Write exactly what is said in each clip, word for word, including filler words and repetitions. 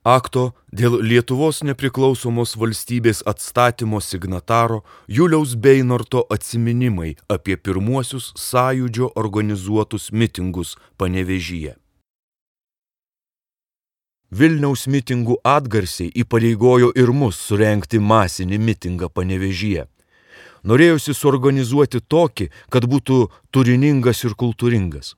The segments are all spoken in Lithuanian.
Akto dėl Lietuvos nepriklausomos valstybės atstatymo signataro Juliaus Beinorto atsiminimai apie pirmuosius sąjūdžio organizuotus mitingus Panevėžyje. Vilniaus mitingų atgarsiai įpareigojo ir mus surengti masinį mitingą Panevėžyje. Norėjosi suorganizuoti tokį, kad būtų turiningas ir kultūringas.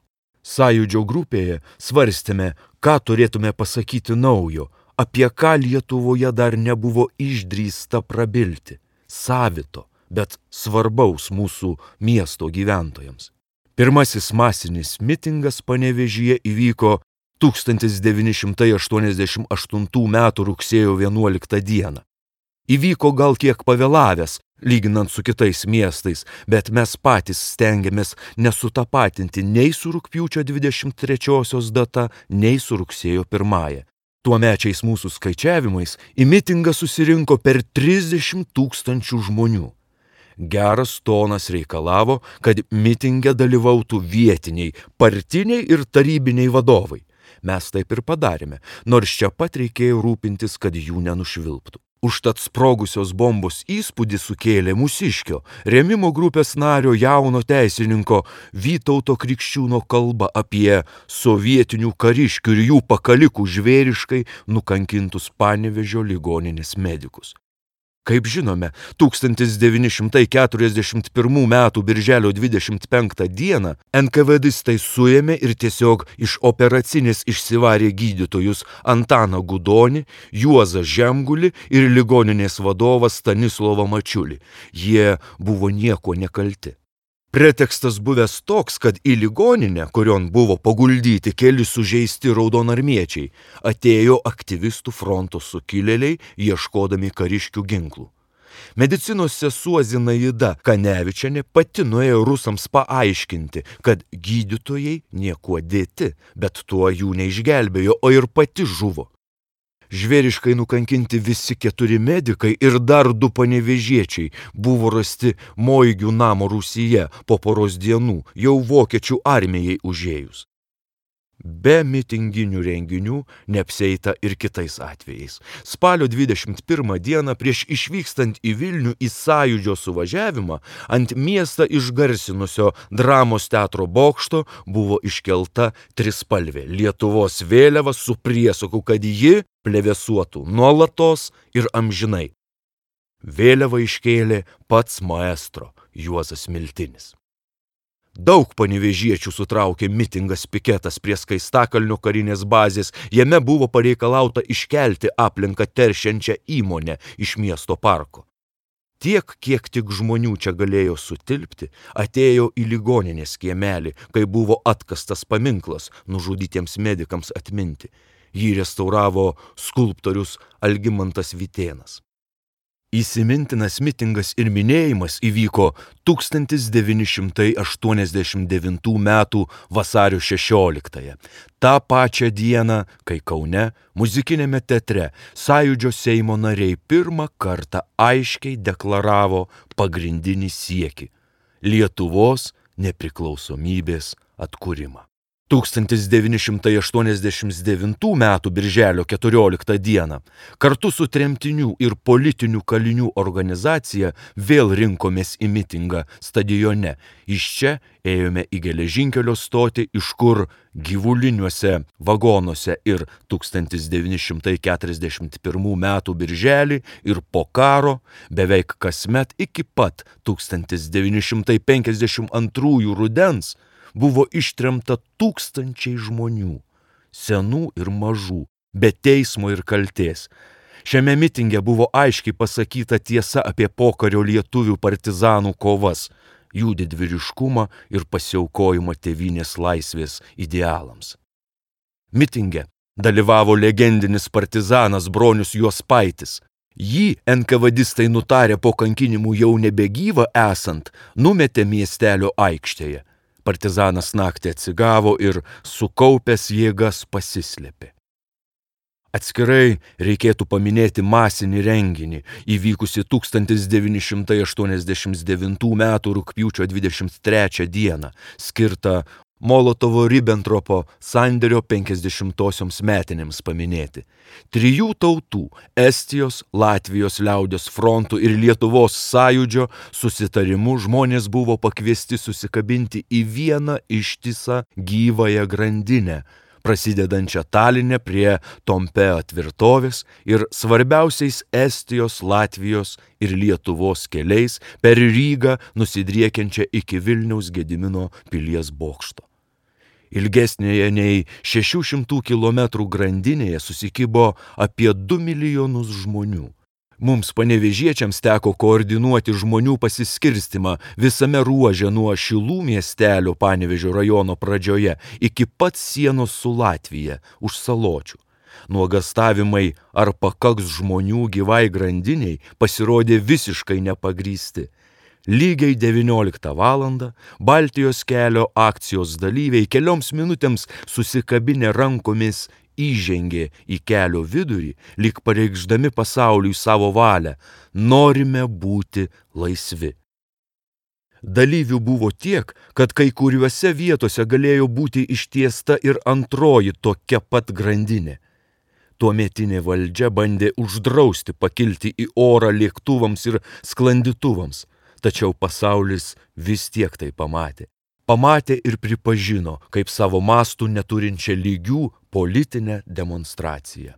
Sąjūdžio grupėje svarstėme, ką turėtume pasakyti naujo, apie ką Lietuvoje dar nebuvo išdrįsta prabilti, savito, bet svarbaus mūsų miesto gyventojams. Pirmasis masinis mitingas Panevėžyje įvyko tūkstantis devyni šimtai aštuoniasdešimt aštuntų metų rugsėjo vienuoliktą dieną. Įvyko gal kiek pavėlavęs, lyginant su kitais miestais, bet mes patys stengiamės nesutapatinti nei su rugpjūčio dvidešimt trečiosios data, nei su rugsėjo pirmąja. Tuomečiais mūsų skaičiavimais į mitingą susirinko per trisdešimt tūkstančių žmonių. Geras tonas reikalavo, kad mitinge dalyvautų vietiniai, partiniai ir tarybiniai vadovai. Mes taip ir padarėme, nors čia pat reikėjo rūpintis, kad jų nenušvilptų. Užtat sprogusios bombos įspūdį sukėlė mūsiškio, rėmimo grupės nario jauno teisininko Vytauto Krikščiūno kalba apie sovietinių kariškių ir jų pakalikų žvėriškai nukankintus Panevėžio ligoninės medikus. Kaip žinome, tūkstantis devyni šimtai keturiasdešimt pirmų metų birželio dvidešimt penktą dieną NKVDistai suėmė ir tiesiog iš operacinės išsivarė gydytojus Antaną Gudonį, Juozą Žemgulį ir ligoninės vadovą Stanislovą Mačiulį. Jie buvo nieko nekalti. Pretekstas buvęs toks, kad į ligoninę, kurion buvo paguldyti keli sužeisti raudonarmiečiai, atėjo aktyvistų fronto sukilėliai, ieškodami kariškių ginklų. Medicinos sesuo Zinaida Kanevičienė pati nuėjo rusams paaiškinti, kad gydytojai niekuo dėti, bet tuo jų neišgelbėjo, o ir pati žuvo. Žvėriškai nukankinti visi keturi medikai ir dar du panevėžiečiai buvo rasti Moigių namo rūsyje po poros dienų, jau vokiečių armijai užėjus. Be mitinginių renginių neapsieita ir kitais atvejais. Spalio dvidešimt pirmą dieną prieš išvykstant į Vilnių į sąjūdžio suvažiavimą ant miestą išgarsinusio dramos teatro bokšto buvo iškelta trispalvė Lietuvos vėliava su priesaku, kad ji plevėsuotų nuolatos ir amžinai. Vėliavą iškėlė pats maestro Juozas Miltinis. Daug panevėžiečių sutraukė mitingas piketas prie Skaistakalnio karinės bazės, jame buvo pareikalauta iškelti aplinką teršiančią įmonę iš miesto parko. Tiek, kiek tik žmonių čia galėjo sutilpti, atėjo į ligoninės kiemelį, kai buvo atkastas paminklas nužudytiems medikams atminti. Jį restauravo skulptorius Algimantas Vytėnas. Įsimintinas mitingas ir minėjimas įvyko tūkstantis devyni šimtai aštuoniasdešimt devintų metų vasario šešioliktąją. Ta pačią dieną, kai Kaune, muzikiniame teatre, sąjūdžio Seimo nariai pirmą kartą aiškiai deklaravo pagrindinį siekį – Lietuvos nepriklausomybės atkūrimą. tūkstantis devyni šimtai aštuoniasdešimt devintų metų birželio keturioliktą dieną kartu su tremtinių ir politinių kalinių organizacija vėl rinkomės į mitingą stadione. Iš čia ėjome į geležinkelio stotį, iš kur gyvuliniuose vagonuose ir tūkstantis devyni šimtai keturiasdešimt pirmų metų birželį ir po karo beveik kasmet iki pat tūkstantis devyni šimtai penkiasdešimt antrųjų rudens buvo ištremta tūkstančiai žmonių, senų ir mažų, be teismo ir kaltės. Šiame mitinge buvo aiškiai pasakyta tiesa apie pokario lietuvių partizanų kovas, jų didvyriškumą ir pasiaukojimą tėvynės laisvės idealams. Mitinge dalyvavo legendinis partizanas Bronius Juospaitis. Jį NKVDistai nutarė po kankinimų jau nebegyvą esant, numetė miestelio aikštėje. Partizanas naktį atsigavo ir sukaupęs jėgas pasislėpė. Atskirai reikėtų paminėti masinį renginį, įvykusi tūkstantis devyni šimtai aštuoniasdešimt devintų metų rugpjūčio dvidešimt trečią dieną, skirtą Molotovo-Ribentropo sandėrio penkiasdešimtosioms metinėms paminėti. Trijų tautų – Estijos, Latvijos liaudies frontų ir Lietuvos sąjūdžio susitarimu žmonės buvo pakviesti susikabinti į vieną ištisą gyvąją grandinę, prasidedančią Taline prie Tompeo tvirtovės ir svarbiausiais Estijos, Latvijos ir Lietuvos keliais per Rygą nusidriekiančią iki Vilniaus Gedimino pilies bokšto. Ilgesnėje nei šešių šimtų kilometrų grandinėje susikibo apie du milijonus žmonių. Mums panevėžiečiams teko koordinuoti žmonių pasiskirstimą visame ruože nuo Šilų miestelio Panevėžio rajono pradžioje iki pat sienos su Latvija už Saločių. Nuogastavimai, ar pakaks žmonių gyvai grandiniai, pasirodė visiškai nepagrįsti. Lygiai devynioliktą valandą Baltijos kelio akcijos dalyviai kelioms minutėms susikabinę rankomis įžengė į kelio vidurį, lyg pareikšdami pasauliui savo valią – norime būti laisvi. Dalyvių buvo tiek, kad kai kuriuose vietose galėjo būti ištiesta ir antroji tokia pat grandinė. Tuometinė valdžia bandė uždrausti pakilti į orą lėktuvams ir sklandytuvams, tačiau pasaulis vis tiek tai pamatė. Pamatė ir pripažino kaip savo mastų neturinčią lygių politinę demonstraciją.